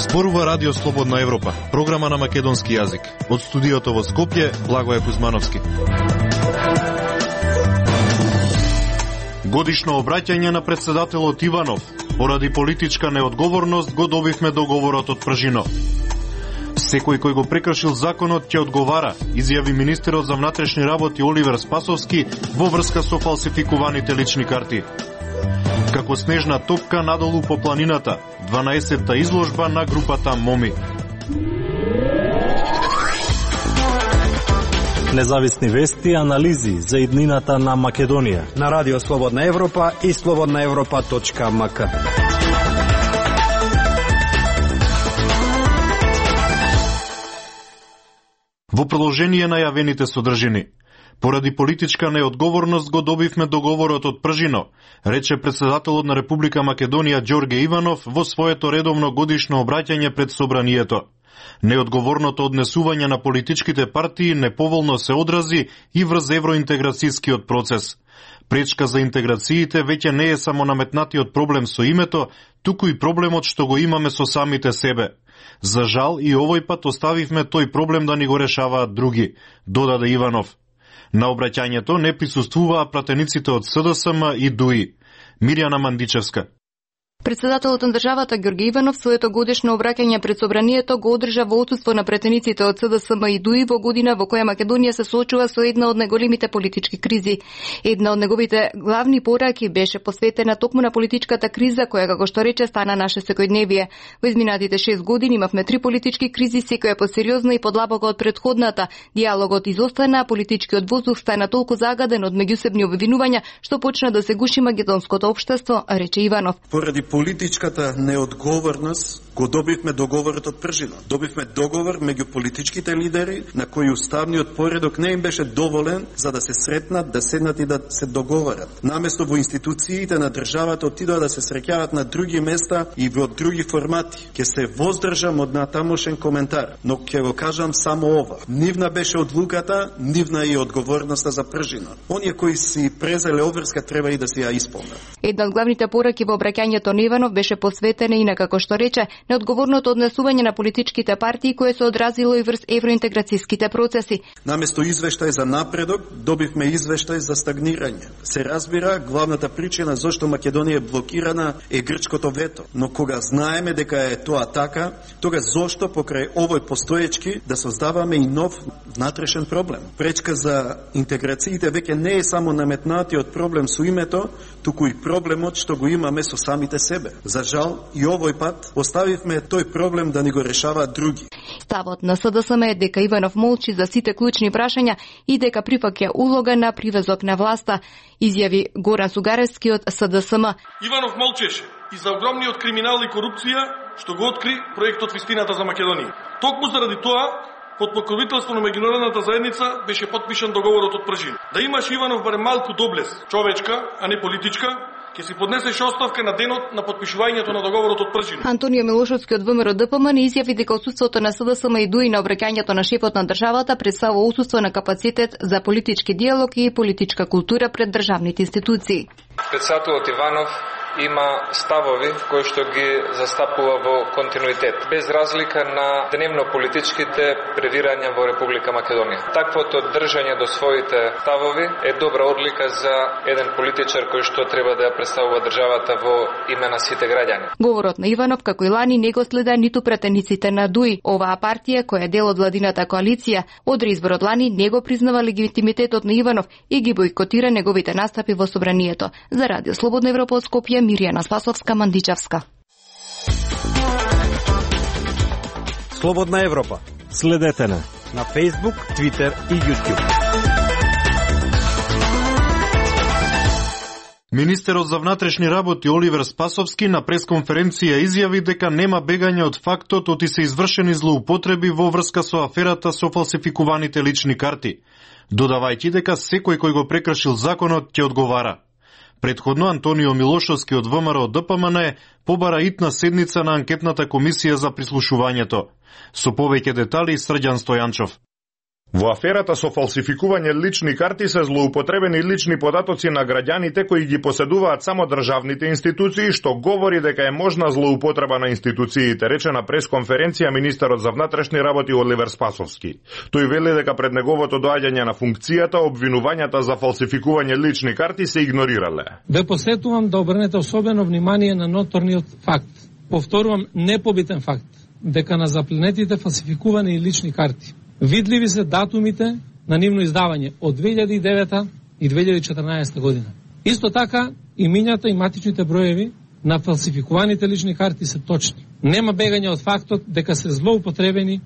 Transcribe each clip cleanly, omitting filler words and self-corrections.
Зборува Радио Слободна Европа, програма на македонски јазик. Од студиото во Скопје, Благоје Кузмановски. Годишно обраќање на председателот Иванов. Поради политичка неодговорност го добивме договорот од Пржино. Секој кој го прекршил законот ќе одговара, изјави министерот за внатрешни работи Оливер Спасовски во врска со фалсификуваните лични карти. Како снежна топка надолу по планината, 12-та изложба на групата Моми. Независни вести и анализи за иднината на Македонија на Радио Слободна Европа и slobodnaevropa.mk. Во продолжение на јавените содржини. Поради политичка неодговорност го добивме договорот од Пржино, рече председателот на Република Македонија Ѓорге Иванов во своето редовно годишно обраќање пред собранието. Неодговорното однесување на политичките партии неповолно се одрази и врз евроинтеграцијскиот процес. Пречка за интеграциите веќе не е само наметнатиот проблем со името, туку и проблемот што го имаме со самите себе. За жал и овој пат оставивме тој проблем да ни го решаваат други, додаде Иванов. На обраќањето не присуствуваа пратениците од СДСМ и ДУИ. Мирјана Мандичевска. Председателот на државата Ѓорге Иванов своето годишно обраќање пред собранието го одржа во отсуство на пратениците од СДСМ и ДУИ во година во која Македонија се соочува со една од најголемите политички кризи. Една од неговите главни пораки беше посветена токму на политичката криза која, како што рече, стана наше секојдневие. Во изминатите 6 години имавме 3 политички кризи, секоја посериозна и подлабока од претходната. Диалогот изостана, политичкиот воздух стана толку загаден од меѓусебни обвинувања што почна да се гуши македонското општество, рече Иванов. Поради политичката неодговорност го добивме договорот од Пржино. Добивме договор меѓу политичките лидери на кои уставниот поредок не им беше доволен за да се сретнат, да седнат и да се договорат. Наместо во институциите на државата отидоа да се среќаваат на други места и во други формати. Ке се воздржам од натамошен коментар, но ќе го кажам само ова. Нивна беше одлуката, нивна и одговорноста за Пржино. Оние кои си презеле обврска треба и да си ја исполнат. Една од главните пораки во обраќањето на Иванов беше посветена и на, како што рече, неодговорното однесување на политичките партии кое се одразило и врз евроинтеграцијските процеси. Наместо извештај за напредок, добивме извештај за стагнирање. Се разбира, главната причина зашто Македонија е блокирана е грчкото вето. Но кога знаеме дека е тоа така, тога зошто покрај овој постоечки да создаваме и нов внатрешен проблем? Пречка за интеграциите веќе не е само наметнатиот проблем со името, туку и проблемот што го имаме со самите себе. За жал, и овој пат оставивме тој проблем да ни го решаваат други. Ставот на СДСМ е дека Иванов молчи за сите клучни прашања и дека прифаќа улога на привезок на власта, изјави Горан Сугаревски од СДСМ. Иванов молчеше и за огромниот криминал и корупција што го откри проектот Вистината за Македонија. Токму заради тоа, под покровителство на меѓународната заедница беше подпишан договорот од Пржино. Да имаш Иванов барем малку доблес, човечка, а не политичка, ќе си поднесеш оставка на денот на подпишувањето на договорот од Пржино. Антонио Милошовски од ВМРО ДПМН изјави дека отсуството на СДСМ и ДУИ на обраќањето на шефот на државата представува отсуство на капацитет за политички диалог и политичка култура пред државните институции. Председателот Иванов има ставови кои што ги застапува во континуитет, без разлика на дневно политичките превирања во Република Македонија. Таквото држање до своите ставови е добра одлика за еден политичар кој што треба да ја представува државата во име на сите граѓани. Говорот на Иванов, како и лани, не го следа ниту пратениците на ДУИ. Оваа партија, која е дел од владината коалиција, од изборот лани не го признава легитимитетот на Иванов и ги бойкотира неговите настапи во собранието. За Радио Слободна Европа од Скопје, Мирјана Спасовска, Мандичевска. Слободна Европа. Следете на Facebook, Twitter и YouTube. Министерот за внатрешни работи Оливер Спасовски на пресконференција изјави дека нема бегање од фактот оти се извршени злоупотреби во врска со аферата со фалсификуваните лични карти, додавајќи дека секој кој го прекршил законот ќе одговара. Предходно Антонио Милошовски од ВМРО ДПМН побара итна седница на анкетната комисија за прислушувањето. Со повеќе детали Срđan Стојанчов. Во аферата со фалсификување лични карти се злоупотребени лични податоци на граѓаните кои ги поседуваат само државните институции, што говори дека е можна злоупотреба на институциите, рече на пресконференција министерот за внатрешни работи Оливер Спасовски. Тој вели дека пред неговото доаѓање на функцијата обвинувањата за фалсификување лични карти се игнорирале. Ве посетувам да обрнете особено внимание на ноторниот факт. Повторувам, непобитен факт, дека на запленетите фалсификувани лични карти видливи се датумите на нивно издавање од 2009 и 2014 година. Исто така, имињата и матичните броеви на фалсификуваните лични карти се точни. Нема бегање од фактот дека се злоупотребени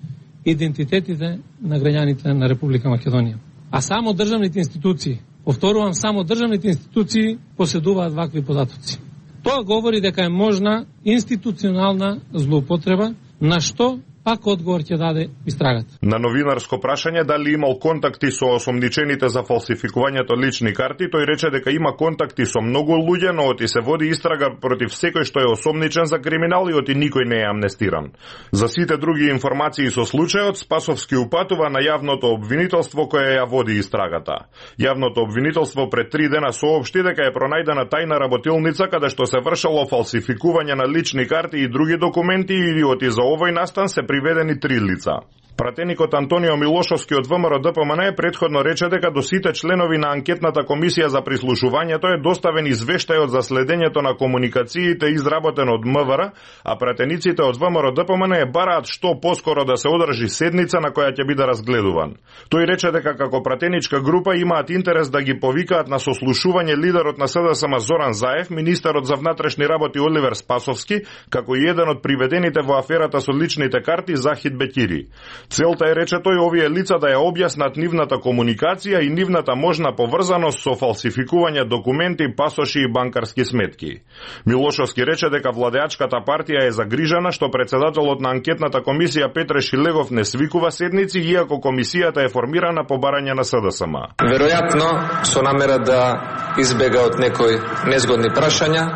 идентитетите на граѓаните на Република Македонија. А само државните институции, повторувам, само државните институции поседуваат вакви податоци. Тоа говори дека е можна институционална злоупотреба, на што пак одговор ќе даде истрагата. На новинарско прашање дали имал контакти со осомничените за фалсификувањето лични карти, тој рече дека има контакти со многу луѓе, но оти се води истрага против секој што е осомничен за криминал и оти никој не е амнестиран. За сите други информации со случајот, Спасовски упатува на јавното обвинителство кое ја води истрагата. Јавното обвинителство пред 3 дена соопшти дека е пронајдена тајна работилница каде што се вршело фалсификување на лични карти и други документи и оти за овој настан се приведени 3 лица. Пратеникот Антонио Милошовски од ВМРО ДПМН предходно рече дека до сите членови на анкетната комисија за прислушувањето е доставен извештајот за следењето на комуникациите изработен од МВР, а пратениците од ВМРО ДПМН бараат што поскоро да се одржи седница на која ќе биде разгледуван. Тој рече дека како пратеничка група имаат интерес да ги повикаат на сослушување лидерот на СДСМ Зоран Заев, министерот за внатрешни работи Оливер Спасовски, како и еден од приведените во аферата со личните карти Захид Бекири. Целта е, рече тој, овие лица да ја објаснат нивната комуникација и нивната можна поврзаност со фалсификување документи, пасоши и банкарски сметки. Милошовски рече дека владеачката партија е загрижена што председателот на анкетната комисија Петре Шилегов не свикува седници, иако комисијата е формирана по барање на СДСМ. Веројатно со намера да избега од некои незгодни прашања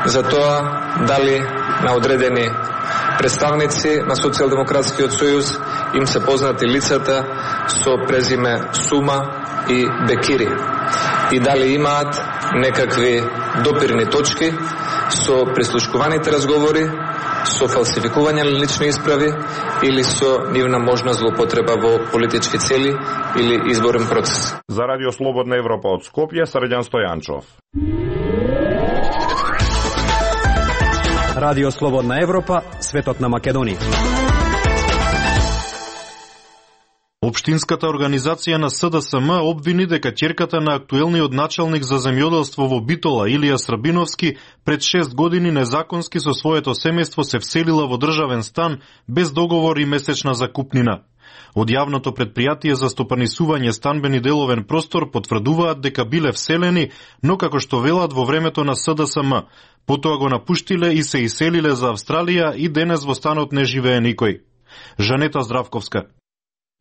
за тоа дали на одредени представници на Социјалдемократскиот сојуз им се познати лицата со презиме Сума и Бекири и дали имаат некакви допирни точки со прислушкуваните разговори, со фалсификување на лични исправи или со нивна можна злоупотреба во политички цели или изборен процес. За Радио Слободна Европа од Скопје, Срđan Стојанчов. Радио Слободна Европа, светот на Македонија. Општинската организација на СДСМ обвини дека ќерката на актуелниот началник за земјоделство во Битола, Илија Србиновски, пред 6 години незаконски со своето семејство се вселила во државен стан без договор и месечна закупнина. Од јавното предпријатие за стопанисување станбени деловен простор потврдуваат дека биле вселени, но како што велат во времето на СДСМ, потоа го напуштиле и се иселиле за Австралија и денес во станот не живее никој. Жанета Здравковска.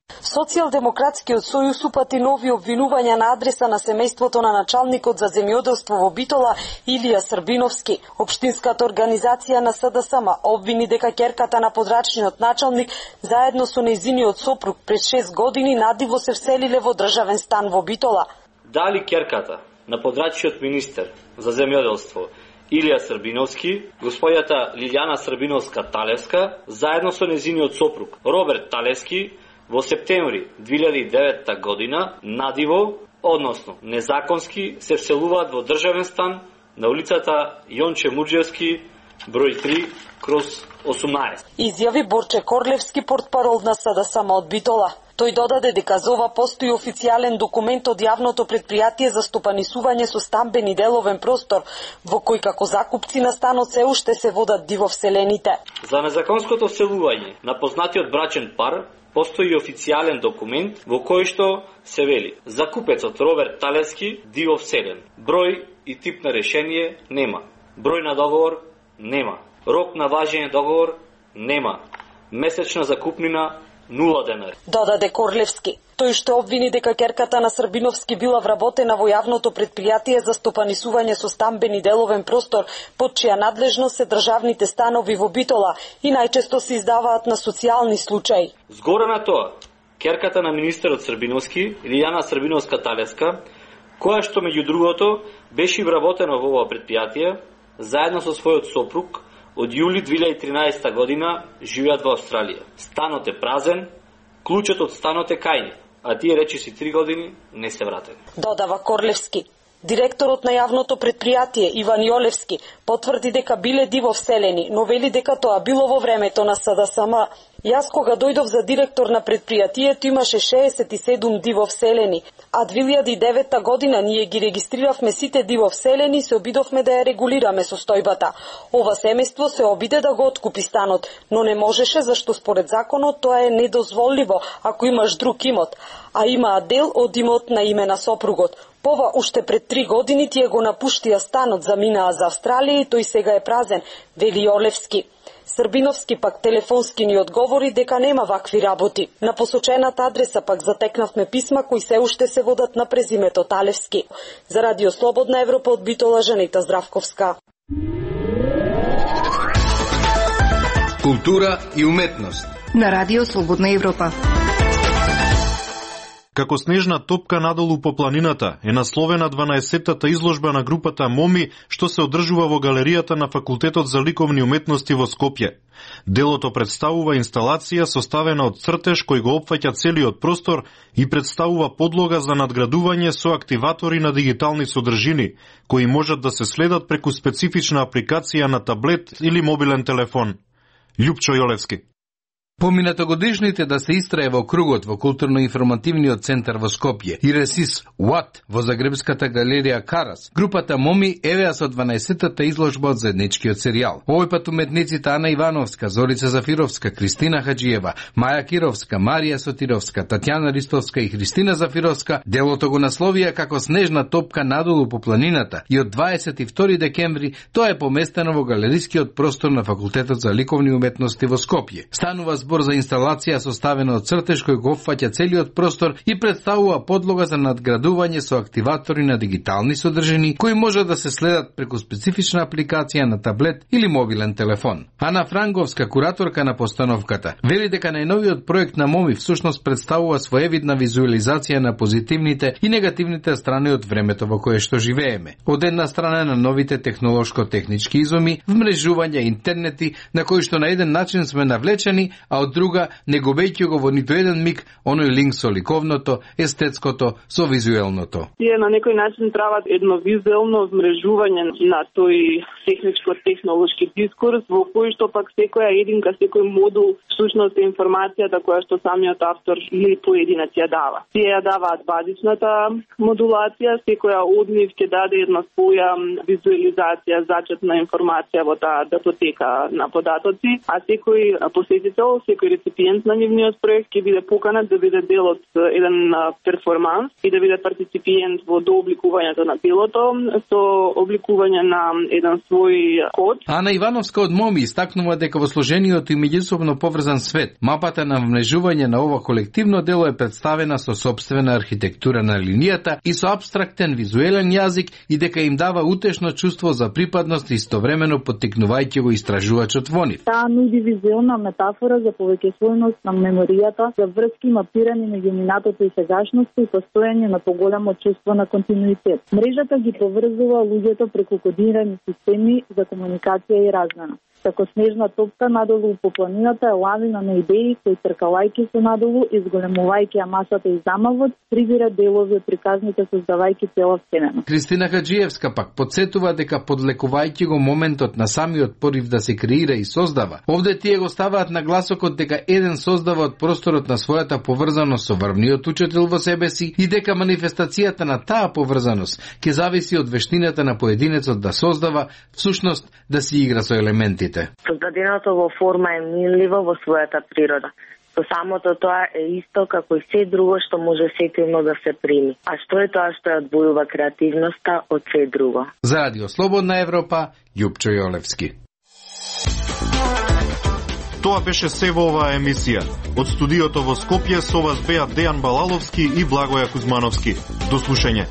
Социјалдемократскиот сојуз упати нови обвинувања на адреса на семејството на началникот за земјоделство во Битола Илија Србиновски. Општинската организација на СДСМ обвини дека ќерката на подрачниот началник заедно со нејзиниот сопруг пред 6 години надиво се вселиле во државен стан во Битола. Дали ќерката на подрачниот министер за земјоделство Илија Србиновски, господјата Лилјана Србиновска-Талевска, заедно со нејзиниот сопруг Роберт Талевски, во септември 2009 година надиво, односно незаконски, се вселуваат во државен стан на улицата Јонче Муџевски, број 3/18. Изјави Борче Корлевски, портпарол на СДСМ од Битола. Тој додаде дека за ова постои официјален документ од јавното предпријатие за стопанисување со станбени деловен простор, во кој како закупци на станот се уште се водат дивовселените. За незаконското вселување на познатиот брачен пар постои официјален документ во кој што се вели: закупецот Роберт Талевски дивовселен. Број и тип на решение нема. Број на договор нема. Рок на важење договор нема. Месечна закупнина 0 денари. Додаде Корлевски. Тој што обвини дека ќерката на Србиновски била вработена во јавното предпријатие за стопанисување со станбени деловен простор, под чија надлежност се државните станови во Битола и најчесто се издаваат на социјални случаи. Згора на тоа, керката на министерот Србиновски, Лилјана Србиновска-Талевска, која што меѓу другото беше вработена во ова предпријатие, заедно со својот сопруг, од јули 2013 година живеат во Австралија. Станот е празен, клучот од станот е кај нив, а тие речиси 3 години не се вратени. Додава Корлевски. Директорот на јавното предпријатие Иван Јолевски потврди дека биле диво вселени, но вели дека тоа било во времето на СДСМ. Јас кога дојдов за директор на предпријатието имаше 67 диво вселени, а 2009 година ние ги регистриравме сите диво вселени и се обидовме да ја регулираме состојбата. Ова семејство се обиде да го откупи станот, но не можеше зашто според законот тоа е недозволиво ако имаш друг имот, а имаа дел од имот на име на сопругот. Пова уште пред 3 години тие го напуштија станот, заминаа за Австралија и тој сега е празен, вели Јолевски. Србиновски пак телефонски ни одговори дека нема вакви работи. На посочената адреса пак затекнавме писма кои се уште се водат на презимето Талевски. За Радио Слободна Европа од Битола, Жанета Здравковска. Култура и уметност на Радио Слободна Европа. Како снежна топка надолу по планината е насловена 12-тата изложба на групата Моми, што се одржува во галеријата на Факултетот за ликовни уметности во Скопје. Делото представува инсталација составена од цртеж кој го опфаќа целиот простор и представува подлога за надградување со активатори на дигитални содржини, кои можат да се следат преку специфична апликација на таблет или мобилен телефон. Љупчо Јолевски. Поминатогодишните да се истрае во кругот во културно-информативниот центар во Скопје и Ресис What во Загребската галерија Карас, групата Моми евеа со 12-тата изложба од заедничкиот серијал. Овој пат уметниците Ана Ивановска, Зорица Зафировска, Кристина Хаджиева, Маја Кировска, Марија Сотировска, Татјана Ристовска и Христина Зафировска делото го насловија како снежна топка надолу по планината и од 22 декември тоа е поместено во галерискиот простор на Факултетот за ликовни уметности во Скопје. Станува збор за инсталација составена од цртеж кој го опфаќа целиот простор и представува подлога за надградување со активатори на дигитални содржини кои може да се следат преку специфична апликација на таблет или мобилен телефон. Ана Франговска, кураторка на постановката, вели дека најновиот проект на Моми всушност представува своевидна визуализација на позитивните и негативните страни од времето во кое што живееме. Од една страна на новите технолошко-технички изуми, вмрежување, интернети, на кои што на еден начин сме навлечени, а од друга, не губејќи го во ниту еден миг оној линк со ликовното, естетското, со визуелното. Тие на некој начин прават едно визуелно вмрежување на тој техничко-технолошки дискурс, во кој што пак секоја единка, секој модул, всушност е информацијата која што самиот автор или поединец ја дава. Тие ја даваат базичната модулација, секоја од нив ќе даде една своја визуализација, зачетна информација во таа датотека на податоци, а секој посетител, секој реципиент на нивниот проект ќе биде поканат да биде дел од еден перформанс и да биде партиципиент во дообликувањето на делото со обликување на еден свој код. Ана Ивановска од Моми истакнува дека во сложениот и меѓусобно поврзан свет, мапата на вмнежување на ова колективно дело е представена со сопствена архитектура на линијата и со апстрактен визуелен јазик и дека им дава утешно чувство за припадност истовремено поттикнувајќи го истражувачот во нив. Таа нуди визуелна метафора за повеќественост на меморијата, за врски мапирани меѓу минатото и сегашноста и постојање на поголемо чувство на континуитет. Мрежата ги поврзува луѓето преку кодирани системи за комуникација и размена. Како снежна топка надолу по планината е лавина на идеи кои тркалајќи се надолу и зголемувајќи ја масата и замавот, прибира делови од приказните создавајќи цела вселена. Кристина Хаджиевска пак подсетува дека подлекувајќи го моментот на самиот порив да се креира и создава, овде тие го ставаат на гласокот дека еден создава од просторот на својата поврзаност со врвниот учител во себе си и дека манифестацијата на таа поврзаност ќе зависи од вештината на поединецот да создава, всушност да си игра со елементите. Создаденото во форма е минливо во својата природа. Со самото тоа е исто како и се друго што може сетивно да се прими. А што е тоа што ја одвојува креативноста од се друго? За Радио Слободна Европа, Љупчо Јолевски. Тоа беше се во оваа емисија. Од студиото во Скопје со вас беа Дејан Балаловски и Благоја Кузмановски. До слушање.